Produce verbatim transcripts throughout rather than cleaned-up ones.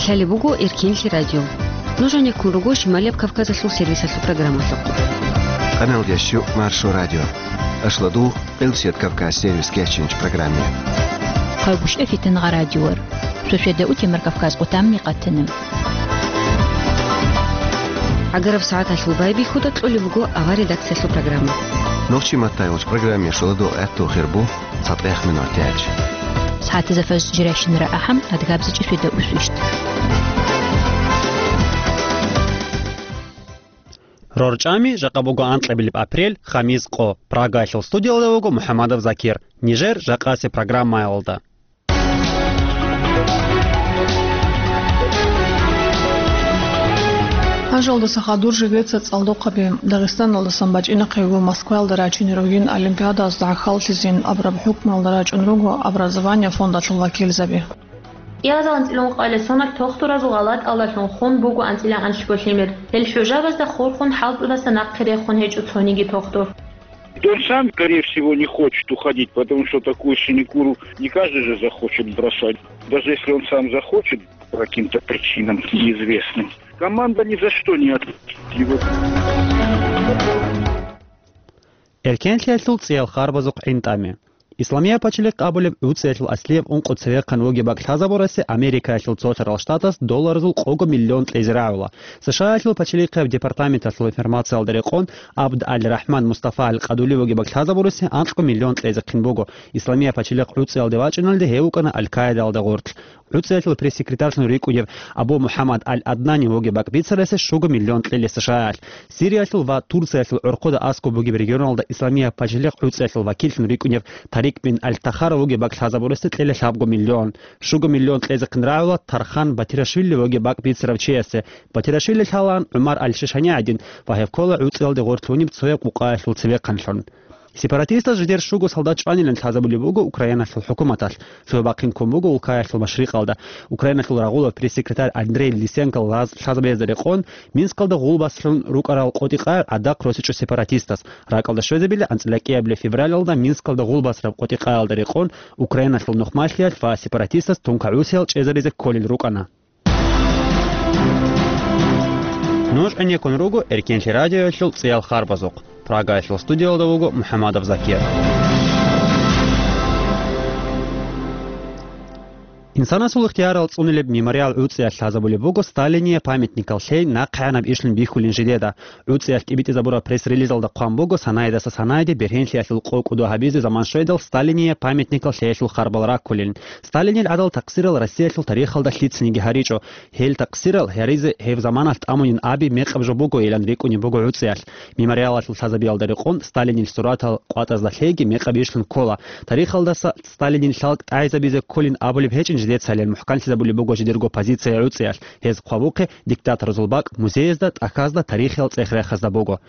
Лъалеб буго Эркенлъи радио. Нуж гьанеккун руго Шималияб Кавказалъул сервисалъул программалъухъ. Къаналдияс щу Маршо радио. Ашладу, Къилсият Кавказ сервис кечинч программе. Хъагушев Фитангъа радиор. Шошеда утемар Кавказ къутамни къатана. Агараб сагӀаталъул байбихьуда кьолеб буго авар редакциялъул программа. Нохчи маттайгъуч программе шоладу гӀатту хирбу. ЦатӀехъ минуталъ. СагӀатизе фажр жирайщинара ахӀам, адгабзичӀи шуьда усвищт. РорчӀами жакъа буго анкьабилеб апрель, хамис къо. Прагаялъул студиялда вуго МухӀаммадов Закир. Нижер жакъасеб программаялда. Гьажалдаса хадур жидеца цӀалдохъаби. Дагъистаналдасан бачӀинахъего Москваялда рачине ругин олимпиадалъ гӀахьаллъизин абураб хӀукмуялда рачӀун руго образование фондалъул вакилзаби. КӀиазал анцӀила ункъоялда соналъ тохтуразул гъалатӀалдалъун хун буго анцӀила анлъго лъимер. Гьел хӀужабазда хурхун хӀалтӀудаса нахъе рехун гьечӀо цониги тохтур. Он сам, скорее всего, не хочет уходить, потому что такую синекуру не каждый же захочет бросать. Даже если он сам захочет, по каким-то причинам неизвестным, команда ни за что не отпустит его. Эркенлъиялъул цӀиял харбазухъ гӀинтӀами. Исламияб пачалихъ абулеб ГӀуцӀиялъул аслияб ункъо цевехъан вугеб бакӀ лъазабурасе Америкаялъул цолъарал штатас долларазул къого миллион кьезе рагӀула. СШАялъул пачалихъияб департаменталъул информациялда рекъон, Абд аль-Рахман Мустафа аль-Къадули вугеб бакӀ лъазабурасе анкьго миллион кьезехъин буго. Исламияб пачалихъ ГӀуцӀиялде вачӀиналде гьев вукӀана Аль-Каидаялда гъорлъ. ГӀуцӀиялъул пресс-секретарьлъун рикӀкӀунев Абу МухӀаммад аль-Аднани вугеб бакӀ бицарасе щуго миллион кьела СШАялъ. Сириялъул ва Турциялъул гӀорхъуда аскӀоб бугеб регионалда Исламияб пачалихъ ГӀуцӀиялъул вакиллъун рикӀкӀунев Тарик бин аль-Тахара вугеб бакӀ лъазабурасе кьела лъабго миллион. Щуго миллион кьезехъин рагӀула Тархан Батирашвили вугеб бакӀ бицарав чиясе. Батирашвили лъалаан ГӀумар аль-Шишани гӀадин ва гьев ккола ГӀуцӀиялде гъорлъ гьуниб цояб къукъаялъул цевехъанлъун. Сепаратистас жидер щуго солдат чӀванилан лъазабулеб буго Украиналъул хӀукуматалъ, цо бахъин ккун буго улкаялъул машрикъалда. Украиналъул рагъулаб пресс-секретарь Андрей Лисенко лаз-, лъазабиязда рекъон, Минскалда гъулбасалъун рукӀарал къотӀи-къагӀи гӀадахъ росичӀо сепаратистас. РакӀалда щвезабила анцӀила кӀиабилеб февралалда Минскалда гъулбасараб къотӀи-къагӀалда рекъон Украиналъул нухмалъиялъ ва сепаратистас тункагӀусиял чӀезаризе кколел рукӀана. Нуж гӀенеккун руго Эркенлъи радиоялъул цӀиял харбазухъ. Прагаялъул студиялда вуго МухӀаммадов Закир. Инсанасул ихтиярал цӀунилеб мемориал ГӀуцӀиялъ лъазабулеб буго Сталиния памятникал лъей нахъегӀанаб ишлъун бихьулин жидеда. ГӀуцӀиялъ тӀибитӀизабураб пресс-релизалда хъван буго, санаидаса санаиде бергьенлъиялъул къо-кӀудо гьабизе заман щведал Сталиния памятникал лъеялъул харбал раккулин. Сталинил гӀадал такъсирал Россиялъул тарихалда лъицаниги гьаричӀо. Гьел такъсирал гьаризе гьеб заманалъ тӀамунин аби мекъаб жо бугойилан рикӀкӀунеб буго ГӀуцӀиялъ. Мемориалалъул лъазабиялда рекъон Сталинил суратал къватӀазда лъейги мекъаб ишлъун ккола. Тарихалдаса Сталинил лъалкӀ тӀагӀизабизе кколин абулеб гьечӀин жидецайилан мухӀканлъизабулеб буго жидерго позиция ГӀуцӀиялъ. Гьез хъвабухъе диктаторазул бакӀ музеязда, тӀахьазда, тарихиял цӀех-рехазда буго.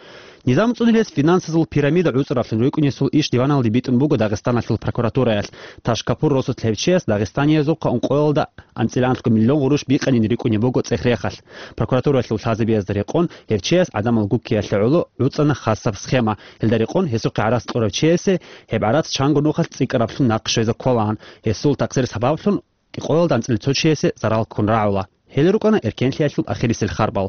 Низам цӀунилес финансазул пирамида гӀуцӀараблъун рукӀунесул иш диваналде битӀун буго Дагъистаналъул прокуратураялъ. Ташкапур росулъ гьев чияс дагъистаниязухъа ункъоялда анцӀила анлъго миллион гъурущ бикъанин рикӀкӀунеб буго цӀех-рехалъ. Прокуратураялъул лъазабиязда рекъон гьев чияс гӀадамал гуккиялъе гӀоло гӀуцӀана хасаб схема. Гьелда рекъон гьесухъе гӀарац кьурав чиясе гьеб гӀарац чанго нухалъ цӀикӀкӀараблъун нахъ щвезе кколаан. Гьесул такъсир сабаблъун кӀикъоялда анцӀила цо чиясе зарал ккун рагӀула. Гьел рукӀана эркенлъиялъул ахирисел харбал.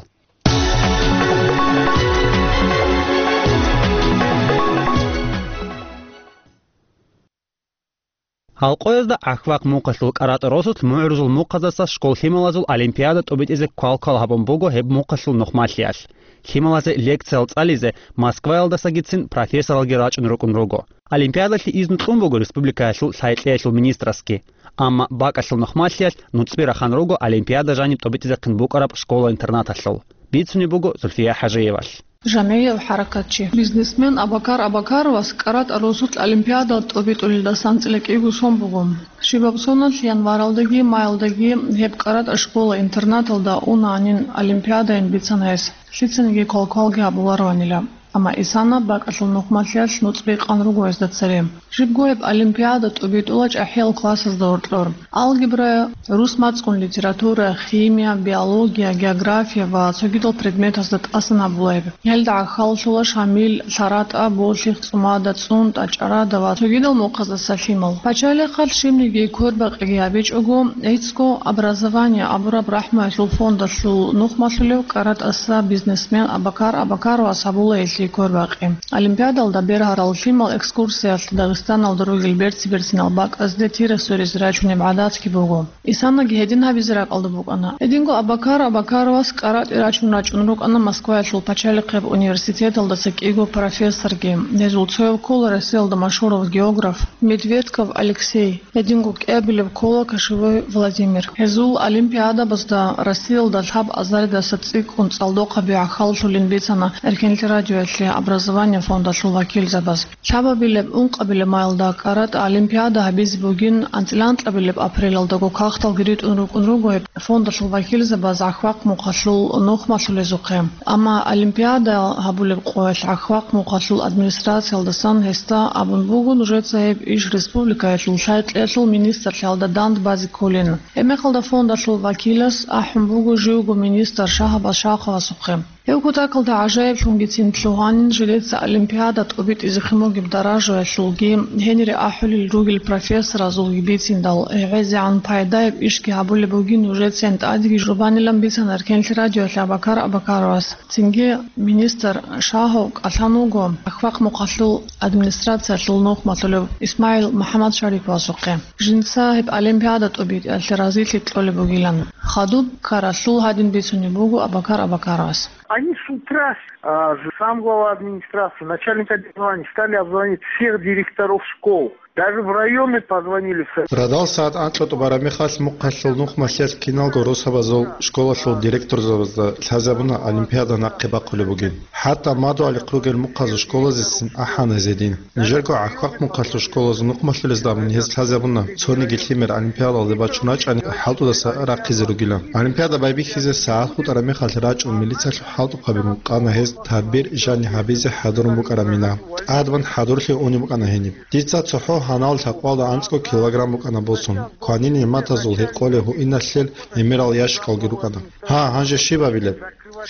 Гьалкъоязда ГӀахьвахъ мухъалъул кӀаратӀа росулъ мугӀрузул мухъаздаса школ лъималазул олимпиада тӀобитӀизе квалквал гьабун буго гьеб мухъалъул нухмалъиялъ. Лъималазе лекциял цӀализе Москваялдасагицин профессоралги рачӀун рукӀун руго. Олимпиадалъе изну кьун буго республикаялъул лъай-кьеялъул министрасги. Амма бакӀалъул нухмалъиялъ нуцӀби рахан руго олимпиада жаниб тӀобитӀизехъин букӀараб школа-интернаталъул. Бицунеб буго Зульфия ХӀажиевалъ. Жамигьев хӀаракатчи, бизнесмен Абакар Абакаровас кӀаратӀа росулъ олимпиада тӀобитӀулелдасан анцӀила кӀиго сон буго. Щибаб соналъ январалдаги маялдаги гьеб кӀаратӀа школа-интернаталда унаанин олимпиадайин бицана гьес, лъицаниги квалквалги гьабулароанила. Амма Исана бакӀалъул нухмалъиялъ нуцӀби къан руго гьезда цере. Жибго гьеб олимпиада тӀубитӀула чӀахӀиял классазда гьоркьор. Алгебра, рус мацӀгун литература, химия, биология, география ва цогидал предметазда тӀасан гьабула гьеб. Гьелда гӀахьаллъула Шамил, ЛъаратӀа, Болъих, ЦӀумада, ЦӀунтӀа, ЧӀарада ва цогидал мухъаздаса лъимал. Пачалихъалъ щибниги квербакъиги гьабичӀого, гӀицӀго «Образование» абураб рахӀмуялъул фондалъул нухмалъулев КӀаратӀаса бизнесмен Абакар Абакаровас гьабула гьелъие квербакъи. Олимпиадалда бергьарал лъимал экскурсиялъ Дагъистаналда ругел берци-берцинал бакӀазде тира сверизе рачунеб гӀадатги буго. Исанаги гьедин гьабизе ракӀалда букӀана. Гьединго Абакар Абакаровас КӀаратӀе рачун рачӀун рукӀана Москваялъул пачалихъеб университеталдаса кӀиго профессорги. Гьезул цояв ккола Россиялда машгьурав географ Медведков Алексей, гьединго кӀиабилеб ккола Кошевой Владимир. Гьезул олимпиадабазда Россиялда лъаб азаридаса цӀикӀкӀун цӀалдохъаби гӀахьаллъулин бицана Эркенлъи радиоялъе «Образование» фондалъул вакилзабаз. Лъабабилеб, ункъабилеб маялда КӀаратӀа олимпиада гьабизе бугин, анцӀила анкьабилеб апрелалдаго кагъталги ритӀун рукӀун руго гьеб фондалъул вакилзабаз ГӀахьвахъ Мухъалъул нухмалъулезухъе. Амма олимпиада гьабулеб къоялъ ГӀахьвахъ Мухъалъул администрациялдасан гьесда абун буго нужеца гьеб иш республикаялъул лъай-кьеялъул министрлъиялда дандбазе кколин. Гьебмехалда фондалъул вакилас ахӀун буго живго министр Шагьабаз Шаховасухъе. Гьев кутакалда гӀажаиблъунгицин лъугьанин жидеца олимпиада тӀубитӀизехъин бугеб даражаялъулги, гьенире ахӀулел ругел профессоразулги бициндал, гӀезегӀан пайдаяб ишги гьабулеб бугин нужецин тӀадеги журбанилан бицана Эркенлъи радиоялъе Абакар Абакаровас. Цинги министр Шагьов кӀалъан вуго ГӀахьвахъ Мухъалъул администрациялъул нухмалъулев ИсмагӀил МухӀаммадшариповасухъе. Жинца гьеб олимпиада тӀубитӀиялъе разилъи кьолеб бугилан. Хадуб ккаралъул гьадин бицунеб буго Абакар Абакаровас. Они с утра, а, с-, сам глава администрации, начальник образования стали обзванивать всех директоров школ. Даже в районы позвонили в с-. Радал сагӀат анкьго тӀубараб мехалъ Мухъалъул нухмалъиялъ киналго росабазул школалъул директорзабазда лъазабуна олимпиада нахъе бахъулеб бугин. ХӀатта мадугӀалихъ ругел мухъазул школазецин ахӀана гьез гьедин. Нижерго ГӀахьвахъ Мухъалъул школазул нухмалъулезда абун гьез лъазабуна, цониги лъимер олимпиадалде бачун рачӀани хӀалтӀудаса рахъизе ругилан. Олимпиада байбихьизе сагӀат хутӀараб мехалъ рачӀун милициялъул хӀалтӀухъабигун къана гьез, тадбир жани гьабизе хӀадурун букӀараб мина. ТӀадбан хӀадурлъи унеб букӀана гьениб. Дица цохӀо гьанал лъакъвалда анцӀго килограмм букӀана босун. Кванин нигӀматазул гьекъолеб гьуинналъел гӀемерал ящикалги рукӀана. Гьа, гьанже щиб абилеб?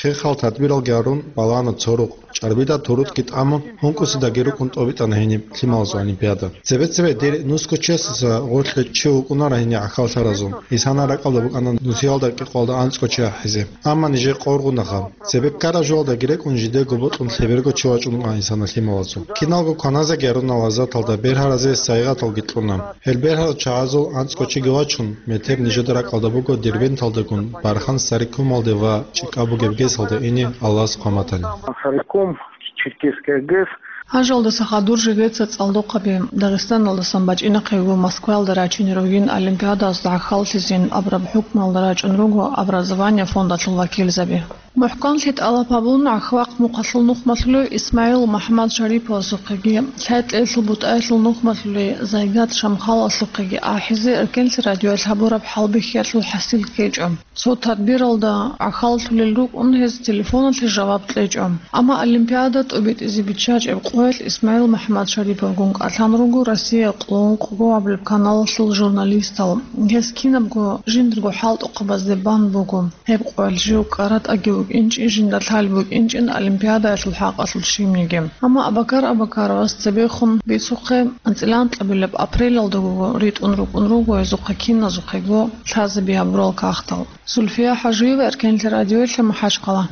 Хехал тадбиралги гьарун, балагьана цо рукъ. ЧӀарбида турутӀги тӀамун, гьункӀусидаги рукӀун тӀобитӀана гьениб лъималазул олимпиада. Цебе-цебе дир нусго чиясаса гъорлъе чи вукӀунара гьениб гӀахьаллъаразул. Исана ракӀалда букӀана нусиялда кӀикъоялда анцӀго чи ахӀизе. Амма нижер къоргъунаха. Цебе ккараб жоялдаги рекӀун жидего бокьун лъеберго чи вачӀун вукӀана Исана лъималазул. Киналго кваназеги гьаруна лаззаталда, бергьаразе сайигъаталги кьуна. Гьел бергьарал чагӀазул анцӀго чиги вачун, метер нижеда ракӀалда буго Дербенталдагун Бархан Сарикумалде ва чӀикӀаб бугеб ГЭСалде ине Аллагьас хъван батани. Сарикум, Черкесская ГЭС. Гьанжалдаса хадур жидеца цӀалдохъаби Дагъистаналдасан бачӀинахъего Москваялда рачине ругин олимпиадазда гӀахьаллъизин абураб хӀукмуялда рачӀун руго «Образование» фондалъул вакилзаби. МухӀканлъи тӀалаб гьабун, ГӀахьвахъ Мухъалъул нухмалъулев ИсмагӀил МухӀаммадшариповасухъеги, лъай-кьеялъул бутӀаялъул нухмалъулей Зайгат Шамхаловасухъеги ахӀизе Эркенлъи радиоялъ гьабураб хӀалбихьиялъул хӀасил ккечӀо. Цо тадбиралда гӀахьаллъулел рукӀун гьез телефоналъе жаваб кьечӀо. Амма олимпиада тӀубитӀизе биччачӀеб къоялъ ИсмагӀил МухӀаммадшариповгун кӀалъан руго Россия къоло ункъго абулеб каналалъул журналистал. Гьез кинабго жиндирго хӀалтӀухъабазде бан буго. Гьеб къоялъ жив КӀаратӀаги вукӀинчӀин, жинда лъалеб букӀинчӀин олимпиадаялъул хӀакъалъулъ щибниги. Амма Абакар Абакаровас цебехун бицухъе, анцӀила анкьабилеб апрелалдаго ритӀун рукӀун руго гьезухъе киназухъего лъазаби гьабурал кагътал. Зульфия ХӀажиева, Эркенлъи радиоялъе, МахӀачхъала.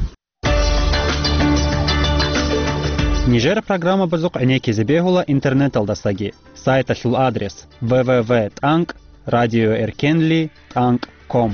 Нижер программабазухъ гӀенеккизе бегьула интернеталдасаги. Сайталъул адрес: дабл ю дабл ю дабл ю точка радиоэркенли точка ком.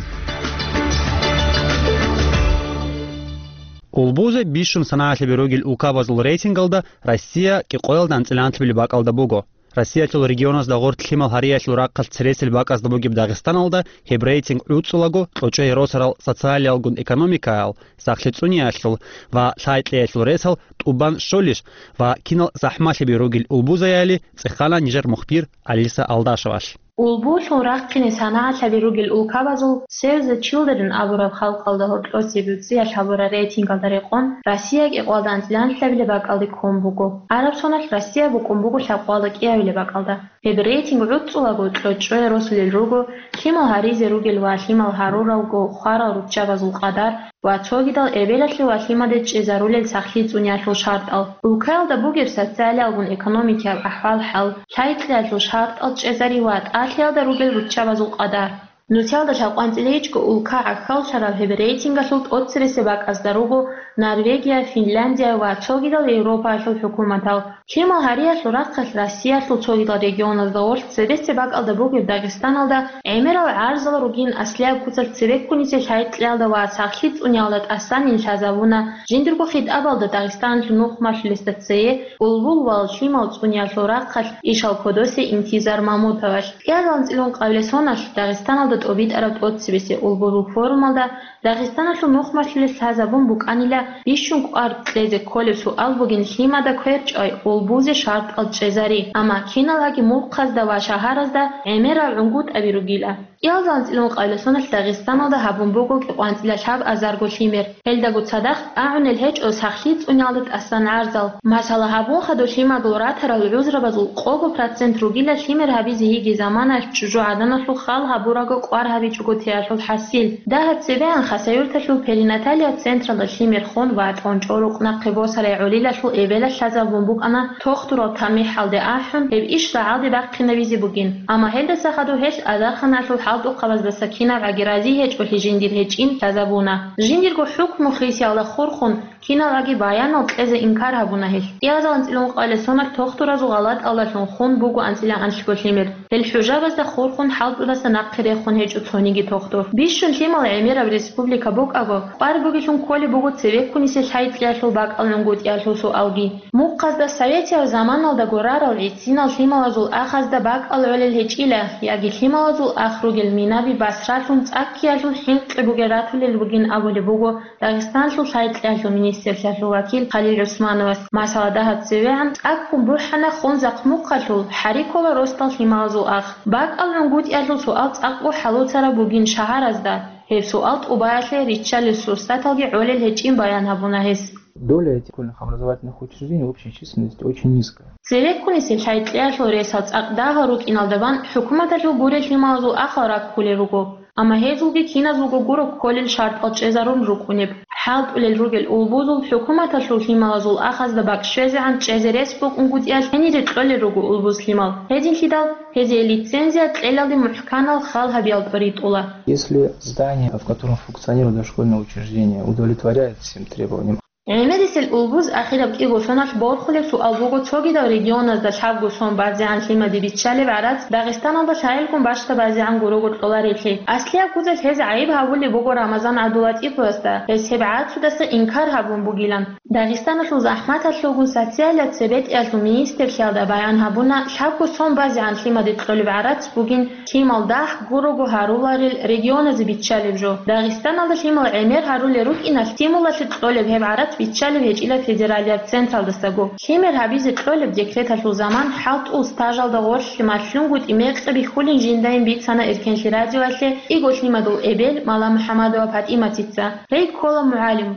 Улбузе бищун санагӀалъаби ругел улкабазул рейтингалда Россия кӀикъоялда анцӀила анлъабилеб бакӀалда буго. Россиялъул регионазда гъорлъ лъимал гьариялъул рахъалъ цересел бакӀазда бугеб Дагъистаналда гьеб рейтинг гӀуцӀулаго кьучӀей росарал социалиялгун экономикаял, сахлъи цӀуниялъул ва лъай-кьеялъул ресал тӀубан щолищ ва кинал захӀмалъаби ругел улбузаяли цӀехана нижер мухбир Алиса Алдашевалъ. Улбулъун рахъине санагӀалъаби ругел улкабазул Save the Children абураб халкъалда гьоркьосе буцӀиялъ гьабураб рейтингалда рекъон, Россия кӀикъоялда анцӀила анлъабилеб бакӀалде ккун буго. ГӀараб соналъ Россия букӀун буго лъабкъоялда кӀиабилеб бакӀалда. Гьеб рейтинг гӀуцӀулаго кьочӀое росулел руго лъимал гьаризе ругел ва лъимал гьаруравго хварал руччабазул къадар ва цогидал эбелалъе ва лъимаде чӀезарулел сахлъи цӀуниялъул шартӀал, улкаялда бугеб социалиялгун экономикияб ахӀвал-хӀал, лъай-кьеялъул шартӀал чӀезари ва тӀалъиялда ругел руччабазул къадар. Нусиялда лъабкъоялда анцӀила гьечӀго улка гӀахьаллъараб гьеб рейтингалъул тӀоцебесеб бакӀазда руго Норвегия, Финляндия ва цогидал Европаялъул хӀукуматал. Лъимал гьариялъул рахъалъ Россиялъул цогидал регионазда гъорлъ цебесеб бакӀалда бугеб Дагъистаналда гӀемерал гӀарзал ругин аслияб куцалъ цебеккунисе лъай-кьеялда ва сахлъи цӀуниялда тӀасанин лъазабуна жиндирго хитӀабалда Дагъистаналъул нухмалъулесда цее улбул ва лъимал цӀуниялъул рахъалъ ишал кодосе Интизар Мамутовалъ. КӀиабилеб анцӀила ункъабилеб соналъ Дагъистаналда тӀобитӀараб тӀоцебесеб улбузул форумалда Дагъистаналъул нухмалъулес лъазабун букӀанила бищун кӀвар кьезе кколеб суал бугин лъимада кверчӀвай улбузе шартӀал чӀезари, амма киналгӀаги мухъазда ва шагьаразда гӀемерал гӀунгутӀаби ругила. КӀиабилеб анцӀила ункъабилеб соналъ Дагъистаналда гьабун буго кӀикъоялда анцӀила лъабазарго лъимер. Гьелдаго цадахъ агӀунел гьечӀо сахлъи цӀуниялда тӀасан гӀарзал. Масала, гьабун хадуб лъимадул ратарал гӀузрабазул къого процент ругила лъимер гьабизе йиги заманаялъ чӀужугӀаданалъул хал гьабурабго кӀвар гьабичӀого теялъул хӀасил. Дагьаб цебегӀан Хасавюрталъул перинаталияб централда лъимер хун ва тӀончӀо рукъ нахъе босарай гӀолилалъул эбелалъ лъазабун букӀана тохтурал тамихӀалде ахӀун, гьеб иш рагӀалде бахъинабизе бугин. Амма гьелдаса хадуб гьелъ азарханалъул хӀалтӀухъабаздаса кинабгӀаги рази гьечӀолъи жиндир гьечӀин лъазабуна. Жиндирго хӀукму хисиялда хурхун, киналгӀаги баянал кьезе инкар гьабуна гьелъ. КӀиабилеб анцӀила ункъабилеб соналъ тохтуразул гъалатӀалдалъун хун буго анцӀила анлъго лъимер. Гьел хӀужабазда хурхун хӀалтӀудаса нахъе рехун гьечӀо цониги тохтур. Бищун лъимал гӀемераб республика букӀаго, кӀвар бугелъун кколеб буго цебеккунисе лъай-кьеялъул бакӀал гӀунгутӀиялъул суалги. Мухъазда советиял заманалдаго рарал гӀисинал лъималазул ахазда бакӀал гӀолел гьечӀила, яги лъималазул ах ругел минаби басралъун цӀаккиялъул хӀинкъи бугел ратулел бугин абулеб буго Дагъистанлъул лъай-кьеялъул министрлъиялъул вакил Халил ГӀусмановас. Масала, дагьаб цевегӀан цӀаккун бухӀана хун захъмухъалъул, хӀари ккола росдал лъималазул ах. БакӀал гӀунгутӀиялъул суал цӀакъго хӀалуцараб бугин шагьаразда. Гьеб суал тӀубаялъе риччалел сурсаталги гӀолел гьечӀин баян гьабуна гьес. Доля этих школьных образовательных учреждений в общей численности очень низкая. Цебеккунисе лъай-кьеялъул ресал цӀакъ дагьал рукӀиналда бан хӀукуматалъул гурел лъималазул ахал раккулел руго, амма гьезулги киназулго гуро кколел шартӀал чӀезарун рукӀунеб. ХӀалтӀулел ругел улбузул хӀукуматалъул лъималазул ахазда бакӀ щвезегӀан чӀезе рес букӀунгутӀиялъ гьенире кьолел руго улбуз лъимал. Гьединлъидал гьезие лицензия кьелалде мухӀканал хал гьабиялда ритӀула. Если здание, в котором функционирует дошкольное учреждение, удовлетворяет всем требованиям. ГӀемерисел улбуз ахираб кӀиго соналъ борхулеб суал буго цогидал регионазда лъабго сон базегӀан лъимаде биччалеб гӀарац Дагъистаналда лъагӀелгун бащдабазегӀан гурого кьоларелъи. Аслияб куцалъ гьез гӀайиб гьабулеб буго Рамазан ГӀабдулатӀиповасда, гьес гьеб гӀарцудаса инкар гьабун бугилан. Дагъистаналъул захӀматалъулгун социалияб цебетӀиялъул министрлъиялда баян гьабуна, лъабго сон базегӀан лъимаде кьолеб гӀарац бугин лъимал дагь гурого гьаруларел регионазе биччалеб жо. Дагъистаналда лъимал гӀемер гьарулел рукӀиналъ стимулалъе кьолеб гьеб гӀарац биччалеб гьечӀила федералияб централдасаго. Лъимер гьабизе кьолеб декреталъул заман хӀалтӀул стажалда гъорлъ малъунгутӀи мекъи бихьулин жиндайин бицана Эркенлъи радиоялъе кӀиго лъимадул эбел Маламухьамадова ПатӀиматица. Гьей ккола мугӀалим.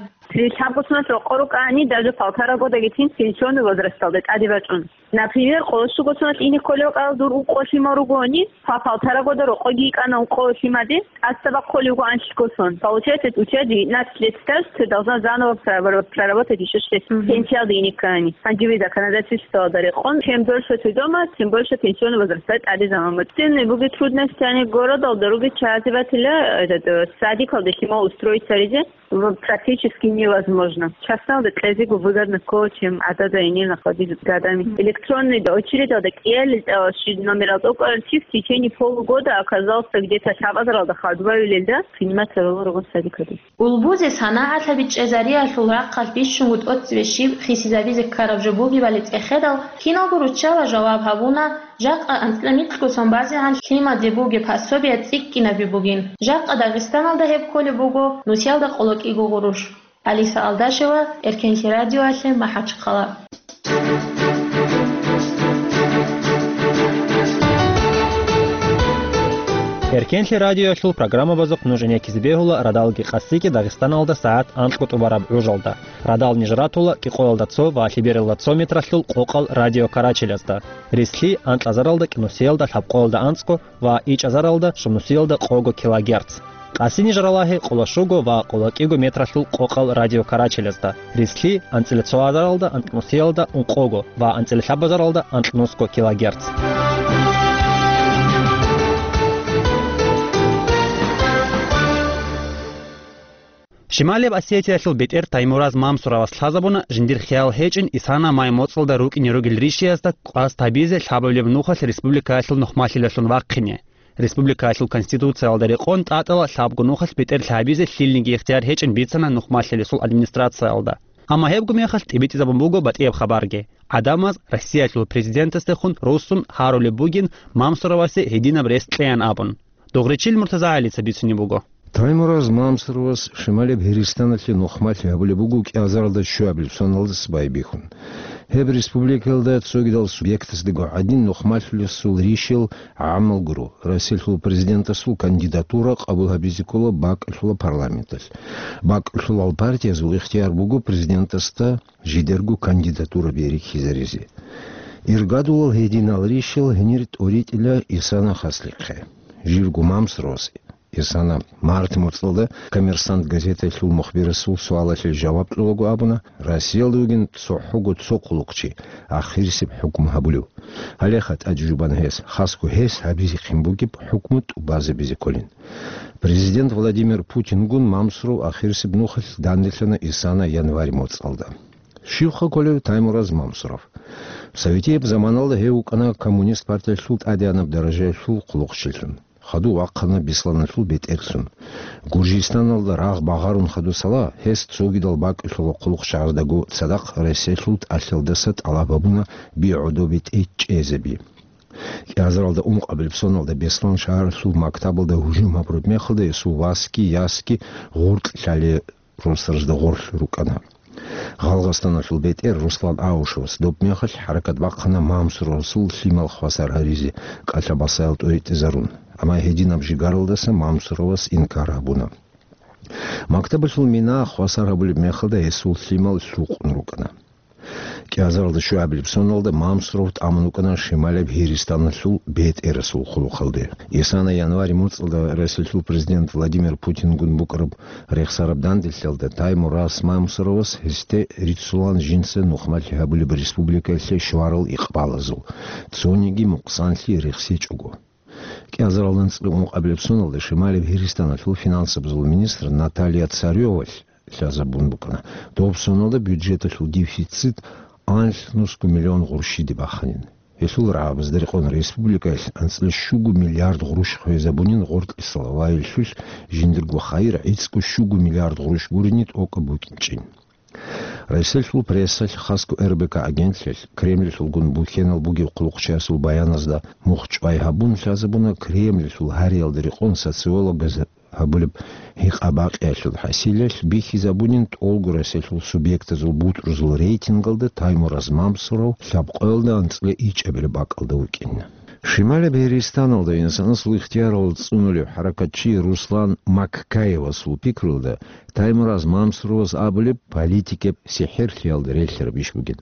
Лъабго соналъ рокъор рукӀани, даже полтора годаги тин пенсионный возрасталда тӀаде бачӀун. Например, къоло щуго соналъ ине кколев кьал дур укъо лъимал ругони, по полтора года рокъоги йикӀана укъо лъимаде, тӀаса бахъулев вуго анлъго сон. Получается, у тебя девятнадцать лет стаж, ты должна заново проработать ещё шесть. Мгм. Пенсиялде ине ккани. Гьанже ви законодательствоялда рекъон, чем дольше ты дома, тем больше пенсионный возраст тӀаде заман. Сильные буги трудности, они городалда руги чазе батила, этот, э, садикалде лъимал устроиться ризе. Практически невозможно. Частналда кьезего выгодно ккола, чем гӀадада гьенир находиться гадами. Электронный очередалда кӀиялел тӀалаши номерал тӀокӀарти в течение полугода оказался где-то лъабазаралда хадубавилелда принимать гьарулел ругон садикалде. Улбузе санагӀалъаби чӀезариялъул рахъалъ бищунго тӀоцебе щиб хисизабизе ккараб жо бугебали цӀехедал, киналго руччала жаваб гьабуна, жакъа анцӀила микьго сон базегӀан лъимаде бугеб пособие цӀикӀкӀинаби бугин. Жакъа Дагъистаналда гьеб кколеб буго, нусиялда къоло кӀиго гъурущ. Алиса Алдашева, Эркенлъи радиоялъе, МахӀачхъала. Эркенлъи радиоялъул программабазухъ нуж гӀенеккизе бегьула радалги къасиги Дагъистаналда сагӀат анкьго тӀубараб гӀужалда. Радал ниж ратула кӀикъоялда цо ва лъебералда цо метралъул къокъал радиокарачелазда, рислъи анкьазаралда кӀинусиялда лъабкъоялда анцӀго ва ичӀазаралда щунусиялда къого килогерц. Къаси ниж ралагье къоло щуго ва къоло кӀиго метралъул къокъал радиокарачелазда, рислъи анцӀила цо азаралда анкьнусиялда ункъого ва анцӀила лъабазаралда анкьнусго килогерц. Шималияб Осетиялъул бетӀер Таймураз Мамсуровас лъазабуна жиндир хиял гьечӀин Исана май моцӀалда рукӀине ругел ришиязда кӀвас гьабизе лъабабилеб нухалъ республикаялъул нухмалъилалъун вахъине. Республикаялъул Конституциялда рекъон тӀатӀала лъабго нухалъ бетӀер лъабизе лъилниги ихтияр гьечӀин бицана нухмалъилесул администрациялда. Амма гьебго мехалъ тӀибитӀизабун буго батӀияб хабарги. ГӀадамаз Россиялъул президентасдехун руссун гьарулеб бугин Мамсуровасе гьединаб рес кьеян абун. Дугъричил МуртазагӀалица бицунеб буго. Таймураз Мамсуровас Шималияб Гьиристаналъе нухмалъи гьабулеб буго кӀиазаралда щуабилеб соналдаса байбихьун. Гьеб республикаялда цогидал субъектасдаго гӀадин нухмалъулесул ришел гӀамал гуро, Россиялъул президентасул кандидатура къабул гьабизе ккола бакӀалъула парламенталъ. БакӀалъулал партиязул ихтияр буго президентасда жидерго кандидатура берихьизаризе. Иргадулал гьединал ришел гьенир тӀоритӀила Исана Хаслихъе. Жибго Мамсуровас Исана март моцӀалда «Коммерсант» газеталъул мухбирасул суалалъе жаваб кьолаго абуна, Россиялда вугин цохӀого цо хъулухъчи ахирисеб хӀукму гьабулев. Гьалеха тӀаде жубана гьес, хасго гьес гьабизехъин бугеб хӀукму тӀубазабизе кколин. Президент Владимир Путингун Мамсуров ахирисеб нухалъ данделъана Исана январь моцӀалда. Щивха кколев Таймураз Мамсуров? Советияб заманалда гьев вукӀана Коммунист партиялъул тӀадегӀанаб даражаялъул хъулухъчилъун. Хадув вахъана Бесланалъул бетӀерлъун. Гуржистаналда рагъ багъарун хадусала, гьес цогидал бакӀалъула хъулухъчагӀаздаго цадахъ Россиялъул тӀалъалдаса тӀалаб гьабуна би гӀодобе тӀечӀезаби. КӀиазаралда ункъабилеб соналда Беслан шагьаралъул мактабалда гьужум гьабураб мехалда гьесул васги ясги гъоркь лъалеб росдажда гъорлъ рукӀана. Гъалгъастаналъул бетӀер Руслан Аушевас доб мехалъ хӀаракат бахъана Мамсуровасул лъимал хвасар гьаризе кӀалъа-басаял тӀоритӀизарун, амма гьединаб жигаралдаса Мамсуровас инкар гьабуна. Мактабалъул мина хвасар гьабулеб мехалда гьесул лъимал лъукъун рукӀана. КӀиазаралда щуабилеб соналда Мамсуров тӀамун вукӀана Шималияб Гьиристаналъул бетӀерасул хъулухъалде. Исана январь моцӀалда Россиялъул президент Владимир Путингун букӀараб рехсараб данделъалда Таймураз Мамсуровас гьесде риццулан жинца нухмалъи гьабулеб республикаялъе щварал икъбалазул цониги мукъсанлъи рехсечӀого. КӀиазарал анцӀила ункъабилеб соналда Шималияб Гьиристаналъул финансабазул министр Наталья Царёвалъ лъазабун букӀана. Доб соналда бюджеталъул дефицит анлънусго миллион гъурущиде баханин. Гьелъул рагӀабазда рекъон республикаялъ анцӀила щуго миллиард гъурущ хвезабунин гъоркьисал вайилъулъ жиндирго хайир гӀицӀго щуго миллиард гъурущ гурине тӀокӀаб букӀинчӀин. Россиялъул прессалъ, хасго Р Б К агентлъиялъ, Кремльалъулгун бухьенал бугеб хъулухъчиясул баяназда мухчӀвай гьабун лъазабуна Кремльалъул гьариялда рекъон социологаз гьабулеб гьикъа-бакъиялъул хӀасилалъ бихьизабунин тӀолго Россиялъул субъектазул бутӀрузул рейтингалда Таймураз Мамсуров лъабкъоялда анцӀила ичӀабилеб бакӀалда вукӀин. Шималияб Гьиристаналда инсанасул ихтиярал цӀунулев хӀаракатчи Руслан Маккаевасул пикрулда, Таймураз Мамсуровас абулеб политикаб сихӀерлъиялда релълъараб иш бугин.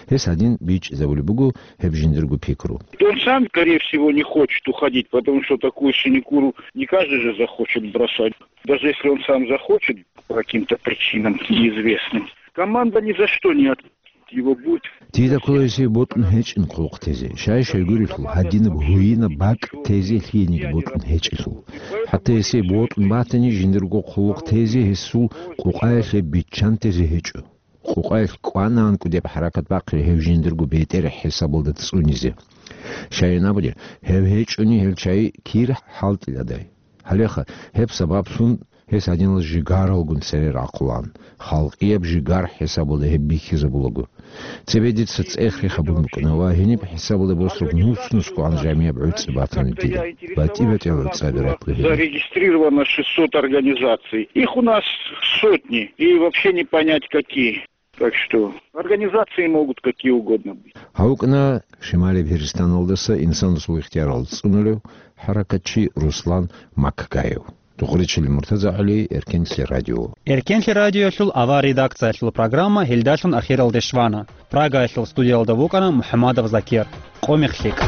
Гьес гьадин бичӀчӀизабулеб буго гьеб жиндирго пикру. Он сам, скорее всего, не хочет уходить, потому что такую синекуру не каждый же захочет бросать. Даже если он сам захочет, по каким-то причинам неизвестным, команда ни за что не отпустит его, будет. Дида ккола гьесие бокьун гьечӀин хъулухъ тезе. Щай-щайгурелъул, гьадинаб гьуинаб бакӀ тезе лъиениги бокьун гьечӀелъул. ХӀатта гьесие бокьун батани, жиндирго хъулухъ тезе гьесул къукъаялъе биччан тезе гьечӀо. Къукъаялъ кӀванаанкӀу деб хӀаракат бахъи гьев жиндирго бетӀер хӀисабалда цӀунизе. Щайин абули, гьев гьечӀони гьел чай кир хӀалтӀиладай. Гьалеха, гьеб сабаблъун гьес гьадинал жигаралгун цере рахъулаан, халкъияб жигар хӀисабалда гьеб бихьизабулаго. Цебе дица цӀех рехабун букӀана ва гьениб хӀисабалда босраб нус-нусгоан жамияб гӀуцӀи батана дида. БатӀи-батӀиял гӀуцӀаби ратла гьениб. Зарегистрировано шестьсот организаций. Их у нас сотни, и вообще не понять какие. Так что организации могут какие угодно быть. Гьавукна Шимали Пирстаналдаса инсанасул ихтиярал цӀунулев хӀаракатчи Руслан Маккаев. Духъричил Муртаза ГӀали, Эркенлъи радио. Эркенлъи радиоялъул авар редакциялъул программа гьелдалъун ахиралде щвана. Прагаялъул студиялда вукӀана МухӀамадов Закир. Къумихъ лъикӀ.